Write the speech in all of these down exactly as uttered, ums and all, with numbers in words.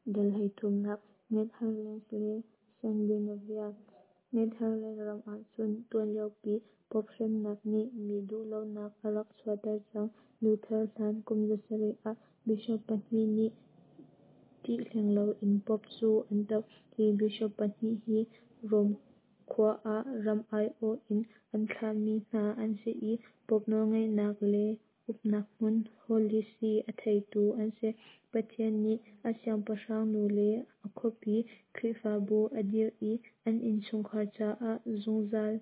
Dal hleithumnak Netherlands le Scandinavia. Netherlands ram ahcun tuan liopi Pope hremnak nih mi duhlonak a rak chuahter cang. Luther hlan kum zasarih ah Bishop pahnih nih ṭih hleng loin Pope cu an doh. Hi Bishop pahnih hi Rome khua ah ram aiawh in an thlahmi hna an si i Pope nawlngeihnak le uknak hmun Holy See a theitu an si. Pathian nih a siangpahrang nu le a khuapi Khrihfabu a dirh i an innchungkhar caah zungzal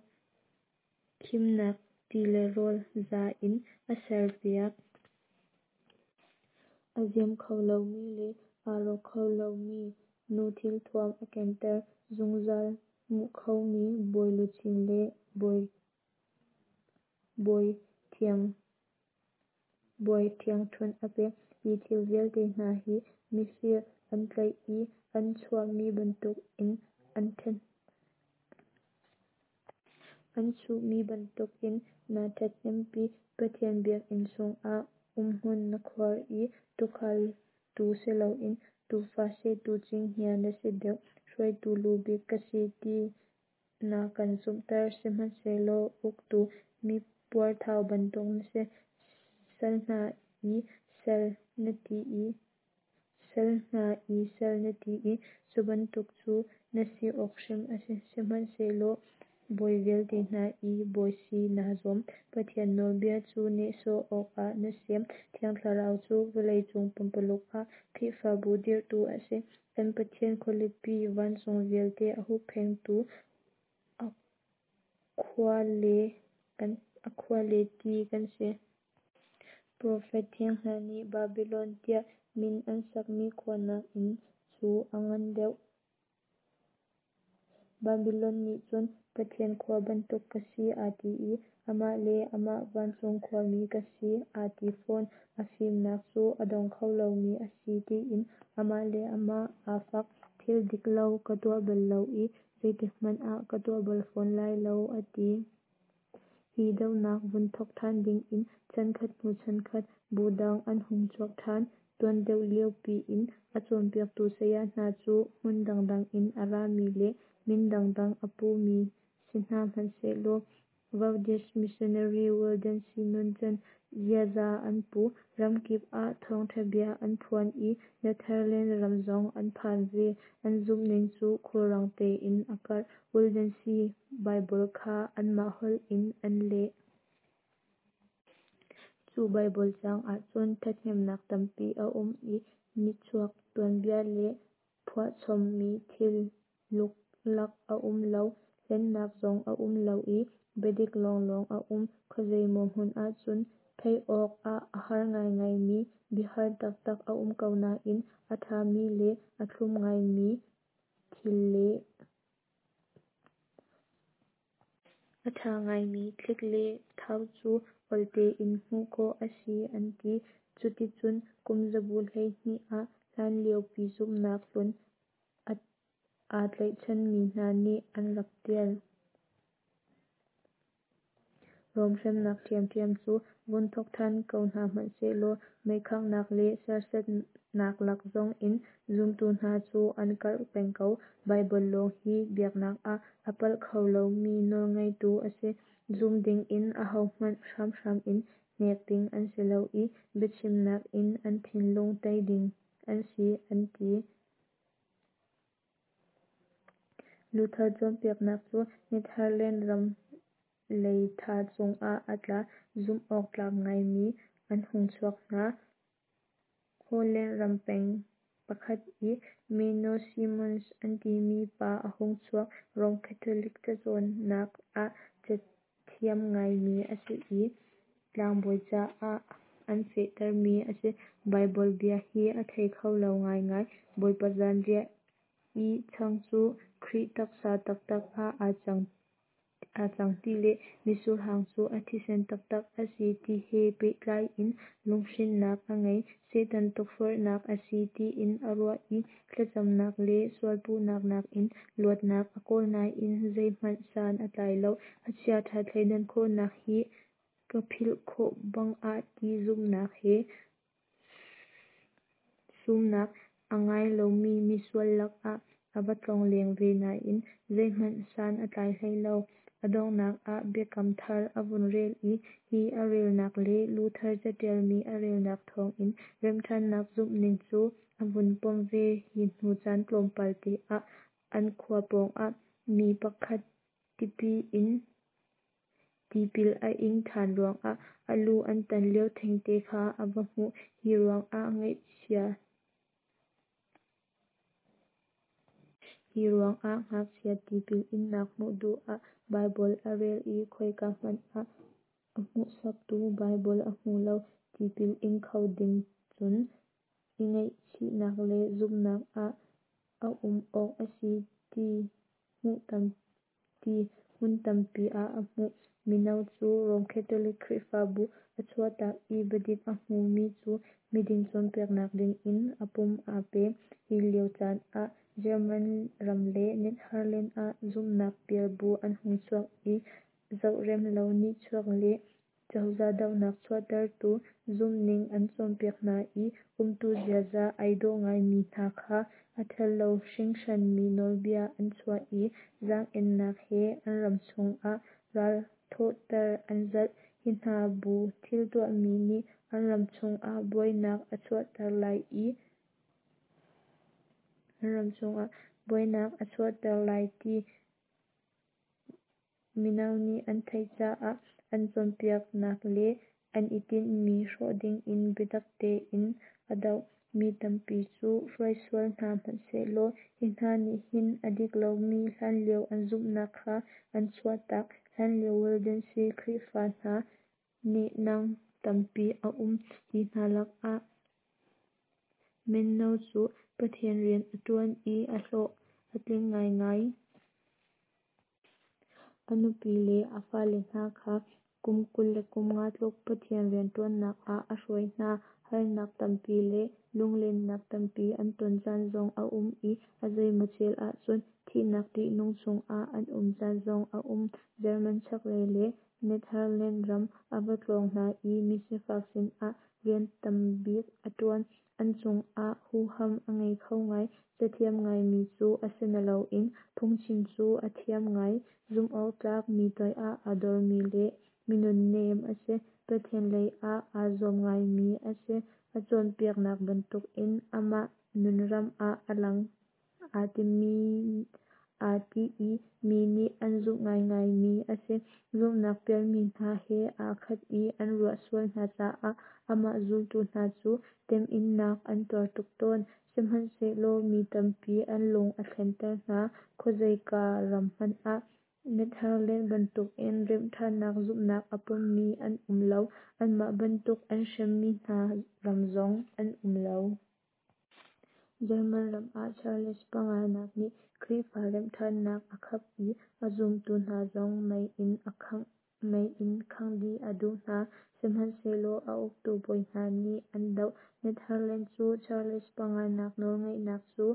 khimnak ti le rawl za in a serpiak. A ziam kho lomi le aa rawk kho lomi nu thilthuam a kenter, zungzal nguh khomi bawi luchin le bawi ṭhiangṭhunh a pek. Hi thil vialte hna hi mifir an tlaih i an chuhmi bantukin an chuhmi bantukin naa ṭhathnempi. Pathian biakinn chungah umhmun na khuar i tuukhal tuu si loin tuufa sehtu cinghngia na si deuh. Hruaitu lu bik ka si ti na kan zumhter, sihmanhsehlaw uktu mipuarthau bantuk na si. Sal hna i sal na ti i sal hna i sal na ti i cu bantuk cu na si awk hrim a si, sihmanhsehlaw bawi vialte hna i bawi si naa zuam. Pathian nawlbia cu nehsawh awkah na sem. Thiang Thlarau cu vawleicung pumpululuk ah Khrihfabu dirhtu a si. Kan Pathian khualipi vancung vialte a hupphengtu a khua le ti kan si. Profet thiang hna nih Babilon tiah min an sakmi khua nakin cu a ngan deuh. Babilon nih cun Pathian khua bantuk ka si aa ti i amah le amah vancung khuami ka si aa ti fawn. A fimnak cu a dong kho lomi a si tiin amah le amah aa fak. Thil dik lo ka tuah bal lo i zeitikhmanh ah ka tuah bal fawn lai lo, a ti. Hi dohnak vun thawk ṭhan dingin chankhat hnu chankhat bu dang an hung chuak ṭhan. Tuan deuh lio piin a cawnpiaktu saya hna cu hmun dangdang in a rami le min dangdang a pumi si hna hmanhsehlaw Valdese missionary Waldensi nuncan ziaza an pu. Ramkip ah thawngṭha bia an phuan i Netherlands ram zong an phan ve. An zumhning cu khulrang tein a karh. Waldensi Baibal kha anmah holh in an leh. Cu Baibal caang ahcun ṭhathnemnak tampi a um i nihchuak tuanbia le phuahchom mi thil luklak a um lo, hlennak zong a um lo i biadik lawnglawng a um. Khuazeimaw hmun ahcun theih awk ah a har ngaingai mi biahar taktak a um ko nain a ṭhami le a thlum ngaimi thil le a ṭha ngaimi thlik le thau cu awl tein hmuh khawh a si an ti. Cuticun kumzabu hleihnih ah hlanliopi zumhnak hlun aa tlaihchanmi hna nih an rak ṭial. Rom hremnak ṭhiamṭhiam cu vun thawk ṭhan ko hna hmanhsehlaw meikhanghnak le serhsatnak lak zong in zumtu hna cu an karh peng ko. Baibal lawng hi biaknak ah a palh kho lomi nawlngeitu a si. Zum dingin ahohmanh hramhram in hnek ding an si lo i biachimnak in an thinlung tei ding an si an ti. Luther cawnpiaknak cu Netherlands ram leitha cungah a tla. Zumh awk tlak ngaimi an hung chuak hna. Holland ram peng pakhat i Menno Simons an timi pa a hung chuak. Rome Catholic cacawnnak ah cathiam ngaimi a si i tlangbawi caah an fehtermi a si. Baibal bia hi a thei kho lo ngaingai. Bawipa zanriah i chang cu Khrih taksa taktak ah aa cang aa cang ti le mitsur hang cu a thisen taktak a si ti he pehtlai in lunghrinnak a ngei. Satan tukforhnak a si tiin a ruah i thlacamnak le sualpuhnak nakin luatnak a kawl nain zeihmanh san a tlai lo. A chiaṭha thleidan khawhnak hi ka philh khawh bang ah ti zumhnak he sumnak a ngai lomi misual lakah a va tlongleng ve nain zeihmanh san a tlai hlei lo. A donghnak ah Biakam Thar a vun rel i hi a relnak le Luther catialmi a relnak thawngin remhṭhannak zumhning cu a vun pom ve. Hi hnu caan tlawmpal te ah an khua pawngah mi pakhat tipil a ing ṭhan ruangah a lu an tan lio thengte kha a va hmuh. Hi ruangah ngakchia tipil innak hmuh duh ah Baibal a rel i khoika hmanh ah a hmuhsaktu Baibal a hmu lo. Tipil ing kho ding cun i ngaihchihnak le zumhnak a um awk a si ti hmun tampi ah a hmuh. Mino cu Rom Catholic Khrihfabu a chuahtak i biadik a hmumi cu miding cawnpiaknak dingin a pum aa pe. Hi lio caan ah German ram le Netherland ah zumhnak pial bu an hung chuak i zohrem lo, nihchuak le cozah dohnak chuahtertu zumhning an cawnpiak hna i umtu ziaza ai dawh ngaimi hna kha a ṭhalo hringhranmi nawlbia an chuah i zaang-ennak he an ram chungah ral thawhter an zalh. Hi hna bu thil tuahmi nih an ram chungah buainak a chuahter lai ti mino nih an theih caah an cawnpiaknak le an i tinhmi hrawh dingin biatak tein a doh. Mi tampi cu hruai sual hna hmanhsehlaw hi hna nih hin a dik lomi hlanlio an zumhnak kha an chuahtak. Hlanlio Waldenses Khrihfa hna nehnang tampi a um. Hi hna lakah Menno cu Pathian rian a ṭuan i a hlawh a tling ngaingai. A nupi le a fale hna kha kum kul le kum nga tluk Pathian rianṭuannak ah a hruai hna. Harnak tampi le lunglennak tampi an ton caan zong a um i a zeimawchel ahcun thihnak ṭihnung chungah an um caan zong a um. German chaklei le Netherland ram a va tlawng hna i misifak sinah rian tambik a ṭuan. An cungah huham a ngei kho ngai. Cathiam ngaimi cu a si naloin phungchim cu a thiam ngai. Zumhawktlak, mi toiah aa dormi le mi nunnem a si. Pathian lei ah aa zuam ngaimi a si. A cawnpiaknak bantukin amah nunram ah a lang aa ti i mi nih an zumh ngaingaimi a si. Zumhnak pialmi hna he aa khat i an ruah sual hna caah amah zultu hna cu temhinnak an tuar tuk tawn. Sihmanhsehlaw mi tampi an lung a thlenter hna. Khuazeika ram hmanh ah Netherland bantukin remhṭhannak zumhnak a pommi an um lo. Anmah bantuk an hremmi hna ram zong an um lo. German ram ah Charles panganak nih Khrihfa remhṭhannak a khap i a zumtu hna zong mei in khangh dih a duh hna. Sihmanhsehlaw a uktu bawi hna nih an doh. Netherland cu Charles panganak nawlngeihnak cu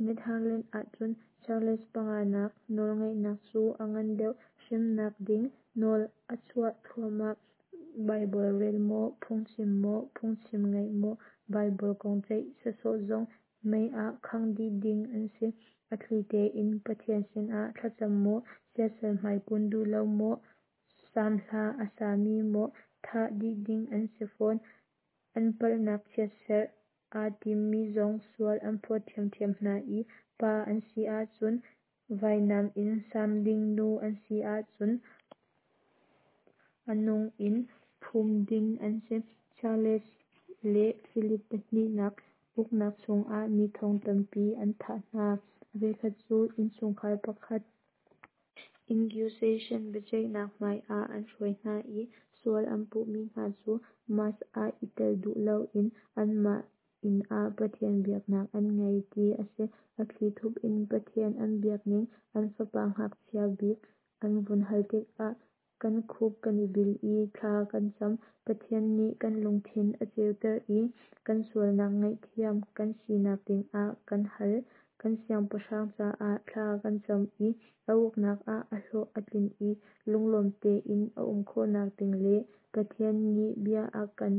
Netherland ahcun Charles panganak nawlngeihnak cu a ngan deuh. Hremnak ding nawl a chuah thluahmah. Baibal rel maw, phungchim maw, phungchim ngaih maw, Baibal kong ceih sawsawh zong mei ah khangh dih ding an si. A thli tein Pathian sinah thlacam maw, siasal hmai kun duh lo maw, Salm hla a sami maw thah dih ding an si fawn. An palhnak chiatserh aa timmi zong sual an phawt ṭhiamṭhiam hna i pa an si ahcun vainam in saam ding, nu an si ahcun a nung in phum ding an si. Charles le Philip pahnihnak uknak chungah mi thong tampi an thah hna. A voikhat cu innchungkhar pakhat Inquisition biaceihnak hmaiah an hruai hna i sual an puhmi hna cu Mass ah i tel duh loin anmah inn ah Pathian biaknak an ngei ti a si. A thlithup in Pathian an biakning an fapa ngakchia bik an vun hal tikah kan khup kan i bil i thla kan cam. Pathian nih kan lungthin a ceuter i kan sualnak ngaihthiam kan sinak dingah kan hal. Kan siangpahrang caah thla kan cam i a uknak ah a hlawh a tlin i lunglawm tein a um khawhnak ding le Pathian nih bia a kan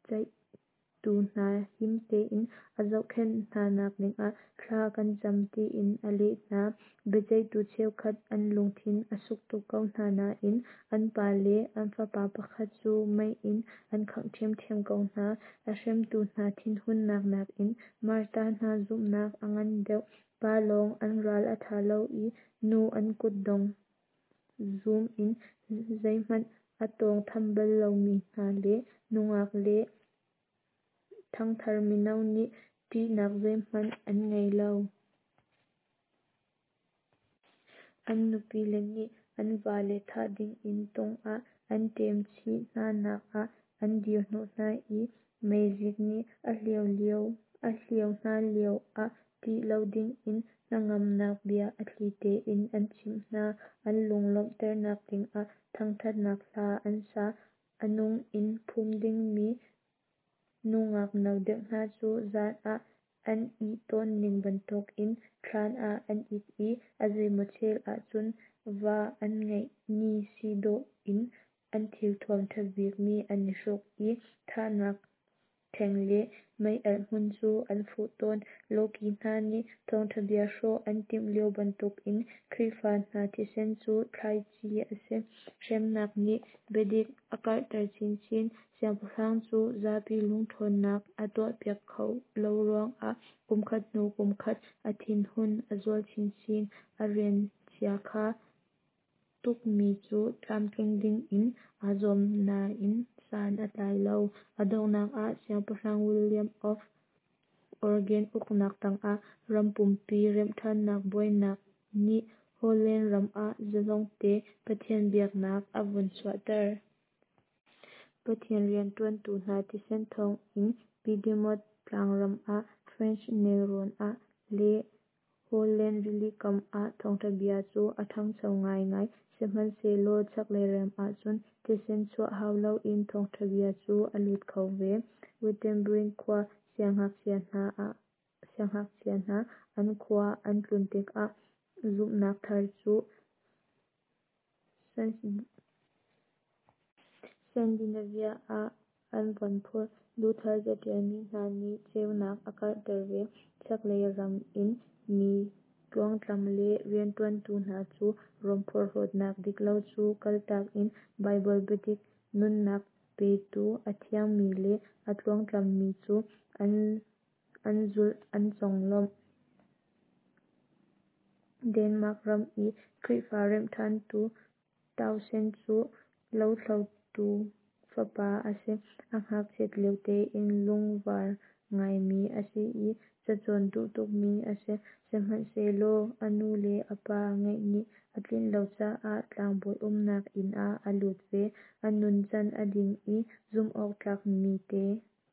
Biaceihtu hna him tein a zohkhenh hna nak dingah thla kan cam tiin a leh hna. Biaceihtu cheukhat an lungthin a suk tuk ko hna nain an pa le an fapa pakhat cu mei in an khangh ṭhiamṭhiam ko hna. A hremtu hna thinhunnak nakin Martar hna zumhnak a ngan deuh. Pa lawng an ral a ṭha lo i nu an kutdong zum in zeihmanh a tawngtham bal lomi hna le nungak le ṭhangthar mino nih ṭihnak zeihmanh an ngei lo. An nupile nih an vale thah dingin tung ah an ṭem chih hna nak ah an dir hnawh hna i meizik nih a hlio hna lio ah ṭih lo dingin hnangamnak bia a thli tein an chimh hna. An lunglawmhternak dingah thangṭhatnak hla an sa. A nung in phum dingmi nungak no deuh hna cu zan ah an ih tawn ning bantukin thlan ah an it i a zeimaw chel ahcun va an ngeih ni si dawh in an thilthuam ṭha bikmi an i hruk i thahnak ṭheng le mei-alh hmun cu an fuh tawn. Lawki hna nih thawngṭha bia hrawh an timh lio bantukin Khrihfa hna thisen cu thlaici a si. Hremnak nih biadik a karhter chinchin. Siangpahrang cu zapi lungṭhawnnak a tuahpiak khawh lo ruangah kumkhat hnu kumkhat a thinhun a zual chinchin. A rian chiakha tukmi cu tlamtling dingin aa zuam nain san a tlai lo. A donghnak ah Siangpahrang William of Orange uknak tangah ram pumpi remhṭhannak buainak nih Holland ram ah zalongte Pathian biaknak a vun chuahter. Pathian rianṭuantu hna thisen thawngin Piedmont tlangram ah, French nelrawn ah le Holland rilikam ah thawngṭha bia cu a ṭhangcho ngaingai. Sihmanhsehlaw chaklei ram ahcun thisen chuah hau loin thawngṭha bia cu a lut kho ve. Wittenberg khua siangngakchia hna an khua an tlun tikah zumhnak thar cu Scandinavia ah an von phurh. Luther caṭialmi hna nih ceunak a karhter ve. Chaklei ram in mi tluangtlam le rianṭuantu hna cu Rom porhlawtnak diklo cu kaltak in Baibal biadik, nunnak petu a thiangmi le a tluangtlammi cu an zulh an conglawmh. Denmark ram i Khrihfa remhṭhantu Tausen cu lothlotu fapa a si. A ngakchiat lio tein lungvar ngaimi a si i cacawn duh tukmi a si. Sihmanhsehlaw a nu le a pa ngeih nih a tlinh lo caah tlangbawi umnak inn ah a lut ve. A nuncan a ding i zumhawktlak mi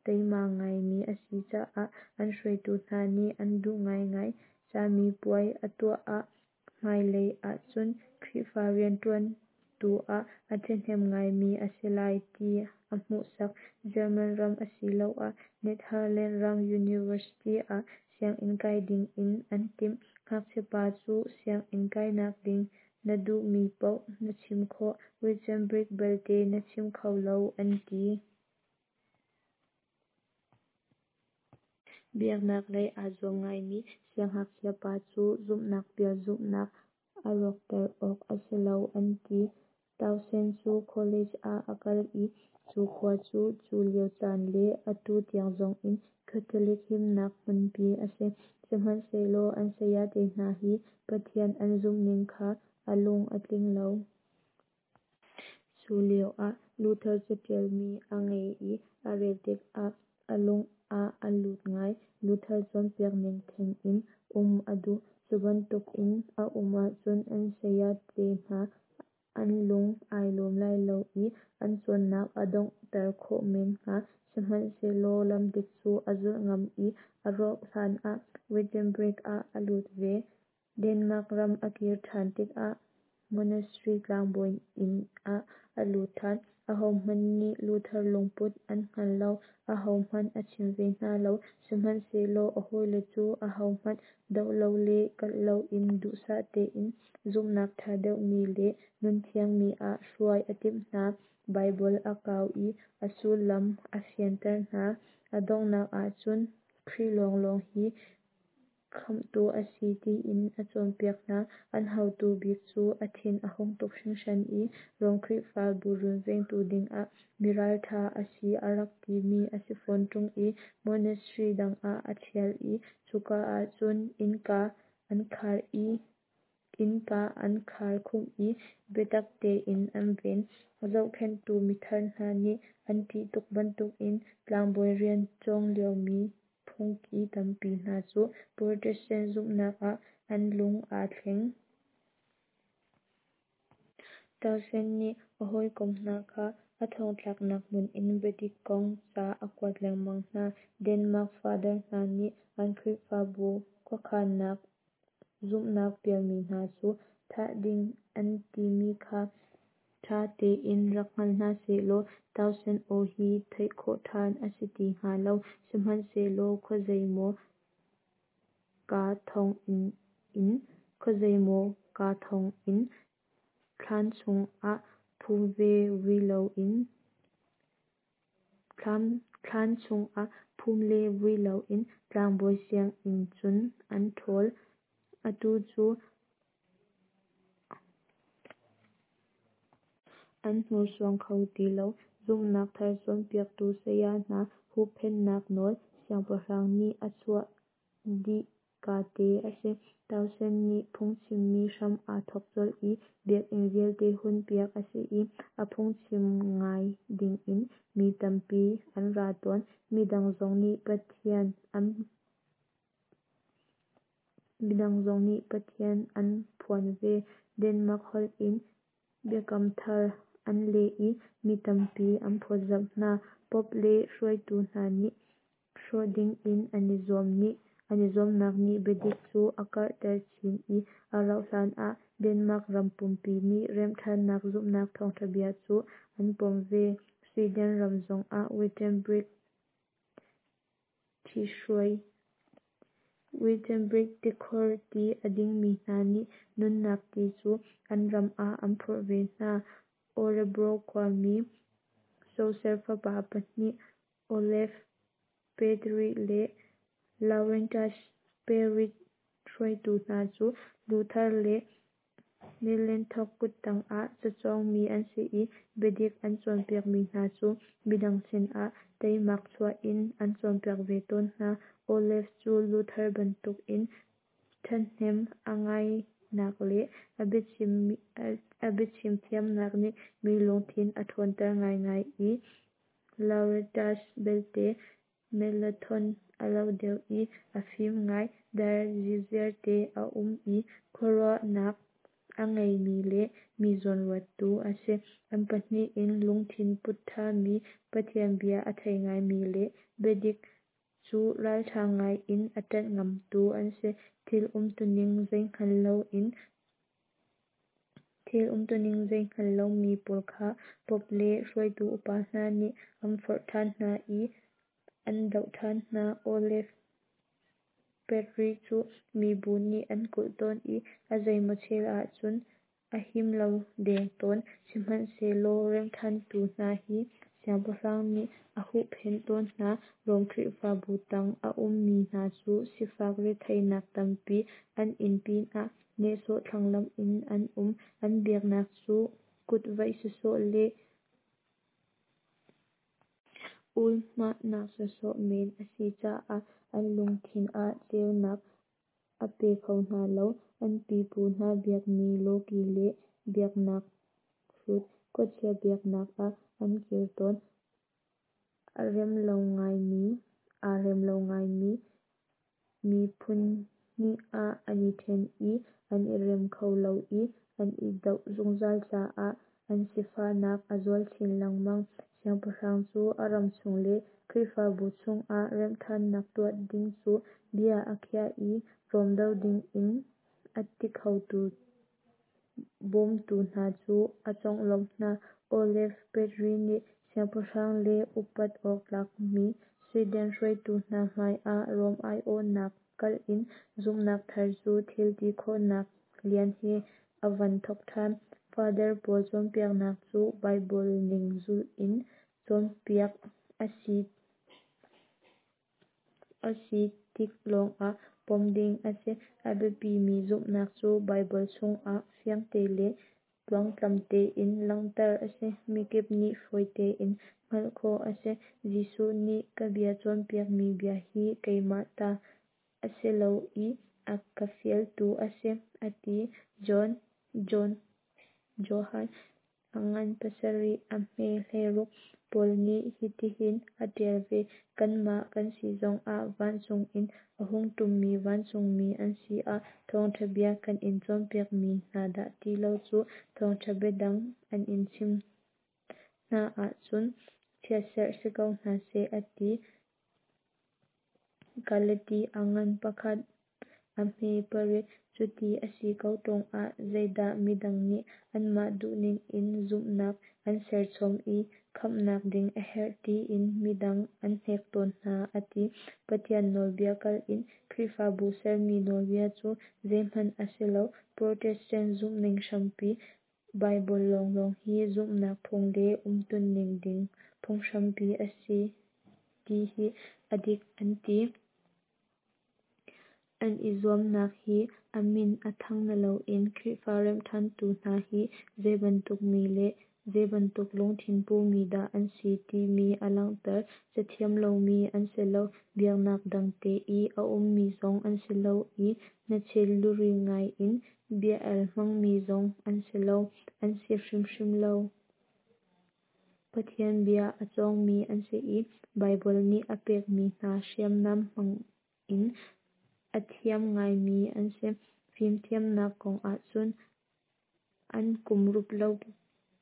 teima ngaimi a si caah an hruaitu hna nih an duh ngaingai. Camipuai a tuah ah hmailei ahcun Khrihfa rianṭuantu ah a ṭhahnem ngaimi a si lai ti a hmuhsak. German ram asiloah Netherland ram University ah sianginn kai dingin an timh. Ngakchiapa cu sianginn kainak ding na duhmi paoh na chim khawh, Wittenberg belte na chim kho lo an ti. Biaknak lei aa zuam ngaimi siangngakchia pa cu zumhnak pial zumhnak a rawkter awk a si lo an ti. Tausen cu college ah a kal i cu khua cu cu lio caan le atu tiang zongin Catholic himnak hmunpi a si. Sihmanhsehlaw an sayate hna hi Pathian an zumhning kha a lung a tling lo. Cu lioah Luther caṭialmi a ngei i a rel tikah a lung ah a lut ngai. Luther cawnpiak ning theng in um a duh. Cu bantukin a um ahcun an sayate hna an lung ai lawm lai lo i an cawnnak a donghter khawh men hnga. Sihmanhsehlaw lamdik cu a zulh ngam i a rauh hlanah Wittenberg ah a lut ve. Denmark ram a kir ṭhan tikah monastery tlangbawi inn ah a lut ṭhan. Ahohmanh nih Luther lungput an hngal lo. Ahohmanh a chim ve hna lo. Sihmanhsehlaw a hawile cu ahohmanh doh lo le kalh loin duhsah tein zumhnak ṭha deuhmi le nun thiangmi ah hruai a timh hna. Baibal a kau i a sullam a fianter hna. A donghnak ahcun Khrih lawnglawng hi khamhtu a si tiin a cawnpiak hna. An hotu bik cu a thin a hung tuk hringhran i Rom Khrihfabu runvengtu dingah mi ralṭha a si a rak timi a si fawn ṭung i monastery dang ah a ṭhial i cuka ahcun innka an khar i innka an khar khumh i biatak tein an ven. A zohkhenhtu mithar hna nih an ṭih tuk bantukin tlangbawi rian cawng liomi phungki tampi hna cu Protestant zumhnak ah an lung aa thleng. Tausen nih a hawikom hna kha a thongtlaknak hmun in biadik kong ca a kuat lengmang hna. Denmark Father hna nih an Khrihfabu khuakhannak zumhnak pialmi hna cu thah ding an timi kha ṭha tein rak hngal hna sehlaw Tausen aw hi theih khawh ṭhan a si ti hnga lo. Sihmanhsehlaw khuazeimaw kaa thonginn in khuazeimaw kaa thonginn thlan chungah phum le vui loin thlan chungah phum le vui loin tlangbawi sianginn cun an ṭhawl. Atu cu an hnursuang kho ti lo. Zumhnak thar cawnpiaktu saya hna huhphenhnak nawl siangpahrang nih a chuah dih kate a si. Tausen nih phungchimmi hram aa thawk colh i biakinn vialte hunpiak a si i a phungchim ngai dingin mi tampi an ra tawn. Midang zong nih Pathian an Midang zong nih Pathian an phuan ve. Denmark holh in Biakam Thar an leh i mi tampi an phawtzamh hna. Pope le hruaitu hna nih hrawh dingin an i zuam nih an i zuamnak nih biadik cu a karhter chin i a rauh hlanah Denmark ram pumpi nih remhṭhannak zumhnak thawngṭha bia cu an pom ve. Sweden ram zongah Wittenberg ṭhihruai Wittenberg tikhor ti a dingmi hna nih nunnak ti cu an ram ah an phurh ve hna. Orebro khuami Soser fapa pahnih Olaf Petri le Laurentius Perit hruaitu hna cu Luther le Melanchthon kuttang ah cacawngmi an si i biadik an cawnpiakmi hna cu midang sinah teimak chuah in an cawnpiak ve tawn hna. Olaf cu Luther bantukin ṭhahnem a ngaihnak le a biachim thiamnak nih mi lungthin a ṭhawnter ngaingai i Laurentius belte Melanchthon a lo deuh i a fim ngai, dai ziarziar te a um i khuaruahnak a ngeimi le mi zawnruattu a si. An pahnih in lungthin put ṭhami, Pathian bia a thei ngaimi le biadik cu ralṭha ngai in a ṭanh ngamtu an si. Thil umtuning zeihngal loin Thil umtuning zei hngal lomi pawl kha Pope le hruaitu upa hna nih an forh ṭhan hna i an doh ṭhan hna. Olaf Petri cu mibu nih an kulh tawn i a zeimaw chel ahcun a him lo deng tawn. Sihmanhsehlaw remhṭhantu hna hi siangpahrang nih a huhphenh tawn hna. Rom Khrihfabu tang a ummi hna cu sifak retheihnak tampi an in pinah nehsawh thlanglamh in an um. An biaknak cu kutvaih sawsawh le ulhmahnak sawsawh men a si caah an lungthin ah ceunak a pe kho hna lo. An pipu hna biakmi lawki le biaknak hrut khuachia biaknak ah an kir tawn. Aa rem lo ngaimi aa rem lo ngaimi mi phun hnih ah an i ṭhen i an i rem kho lo i an i doh zungzal caah an sifahnak a zual chin lengmang. Siangpahrang cu a ram chung le Khrihfabu chungah remhṭhannak tuah ding cu bia a khiah i Rom doh dingin a ti khotu bawmtu hna cu a conglawmh hna. Olaf Petri nih siangpahrang le upat awk tlakmi Sweden hruaitu hna hmaiah Rom aiawhnak kal in zumhnak thar cu thil ti khawhnak lian he a van thawk ṭhan. Father pawl cawnpiaknak cu Baibal ning zulh in cawnpiak a si a si tik lawngah pom ding a si. A biapimi zumhnak cu Baibal chungah fiangte le tluangtlam tein langhter a si. Mikip nih fawi tein hngalh khawh a si. Jesuh nih ka bia cawnpiakmi bia hi keimah ta a si lo i a ka fialtu a si, a ti. John, John, Johan a ngan pasarih a hme hleiruk. Paul nih hitihin a ṭial ve: Kanmah kan si zongah, vancung in a hung ṭummi vancungmi an si ah, thawngṭha bia kan in cawnpiakmi hna dah ti lo cu thawngṭha bia dang an in chimh hna ahcun chiatserh si ko hna seh, a ti. Galati a ngan pakhat a hme pariat. Cuti a si ko ṭung ah zeidah midang nih anmah duhning in zumhnak an serchom i khamhnak ding a herh tiin midang an hnek tawn hna, a ti. Pathian nawlbia kalh in Khrihfabu sermi nawlbia cu zeihmanh a si lo. Protestant zumhning hrampi Baibal lawnglawng hi zumhnak phung le umtuning ding phunghrampi a si ti hi a dik an ti. An i zuamnak hi a min a thang naloin Khrihfa remhṭhantu hna hi zeibantuk mi le zeibantuk lungthin pumi dah an si timi a langhter. Cathiam lomi an si lo, biaknak dangte i a ummi zong an si lo i hnachet luri ngai in bia-el hmangmi zong an si lo, an si hrimhrim lo. Pathian bia a cawngmi an si i Baibal nih a pekmi hna hriamnam hmang in a thiam ngaimi an si. Fimthiamnak kong ahcun an kum rup lo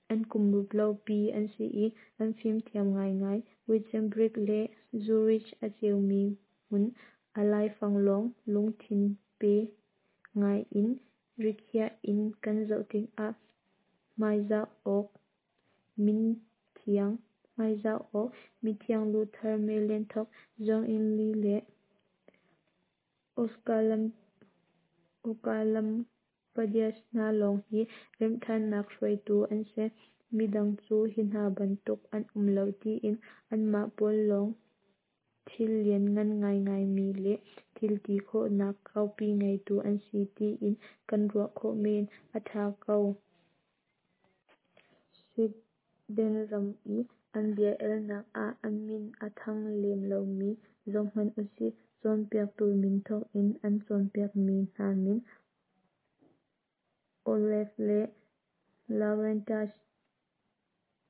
an kum rup lopi an si i an fimthiam ngaingai. Wittenberg le Zurich a ceumi hmun a laifang lawng lungthin pe ngai in rikhiah in kan zoh tikah hmaizah awk minthiang hmaizah awk mithiang Luther, Melanchthon, Zwingli le Oecolampadius hna lawng hi remhṭhannak hruaitu an si. Midang cu hi hna bantuk an um lo tiin anmah pawl lawng thil lianngan ngaingaimi le thil ti khawhnak kaupi ngeitu an si tiin kan ruah khawh men. A ṭha ko. Sweden ram i an bia-elnak ah a min a thang lem lomi zohhmanh usih. Cawnpiaktu min thawk in an cawnpiakmi hna min Olaf le Laurentius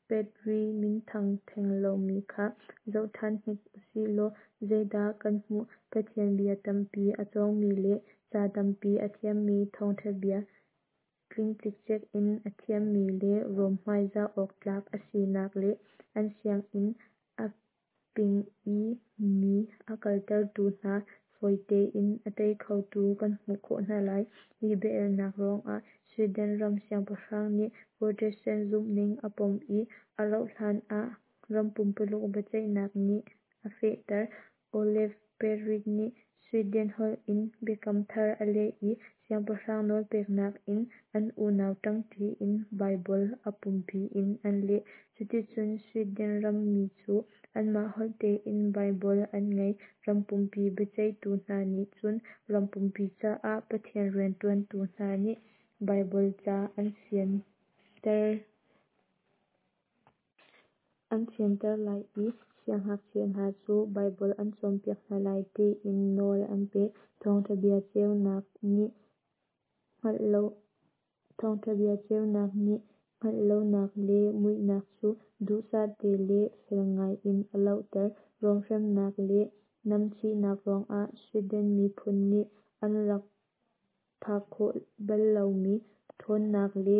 Petri minthang theng lomi kha zoh ṭhan hnik usih law zeidah kan hmuh? Pathian bia tampi a cawngmi le ca tampi a thiammi, thawngṭha bia tling cikcek in a thiammi le Rom hmaizah awk tlak a sinak le an sianginn a ping i mi a kaltertu hna fawi tein a tei khotu kan hmuh khawh hna lai. Hi bia-elnak ruangah Sweden ram siangpahrang nih Protestant zumhning a pom i a rauh hlan ah ram pumpuluk biaceihnak nih a fehter. Olaf Petri nih Sweden holh in Biakam Thar a leh i siangpahrang nawlpeknak in an unau ṭangṭi in Baibal a pumpi in an leh. Cuticun Sweden rammi cu anmah holh tein Baibal an ngei. Ram pumpi biaceihtu hna nih cun ram pumpi caah Pathian rianṭuantu hna nih Baibal ca an fianter an fianter lai i siangngakchia hna cu Baibal an cawnpiak hna lai tiin nawl an pek. Thawngṭha bia ceunak nih hngalh lo Thawngṭha bia ceunak nih hngalh lonak le muihnak cu duhsah te le fel ngai in a lohter. Rom hremnak le namchihnak ruangah Sweden miphun nih an rak phak khawh bal lomi ṭhawnnak le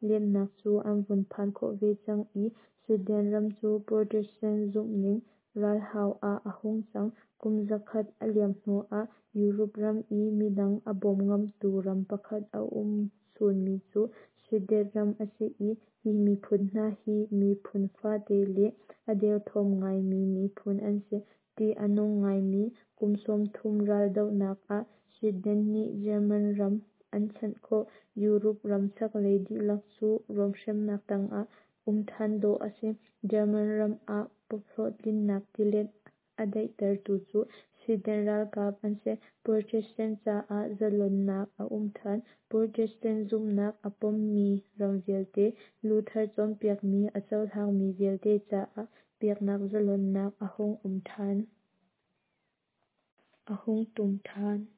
lianhnak cu an vun phan khawh ve cang i Sweden ram cu Protestant zumhning ralhau ah a hung cang. Kum zakhat a liam hnuah Europe ram i midang a bawm ngamtu ram pakhat a um chunmi cu Sweden ram a si i hi miphun hna hi miphun fate le a derthawm ngaimi miphun an si. Ṭih a nung ngaimi kum sawmthum raldohnak ah Sweden nih German ram an chanh khawh. Europe ram chaklei dihlak cu Rom hremnak tangah um than dawh a si. German ram ah Pope hlawhtlinnak tilet a daihtertu cu Sweden ralkap an si. Protestant caah zalonnak a um than. Protestant zumhnak a pommi ram vialte, Luther cawnpiakmi a cohlangmi vialte caah biaknak zalonnak a hung um than. A hung tum than.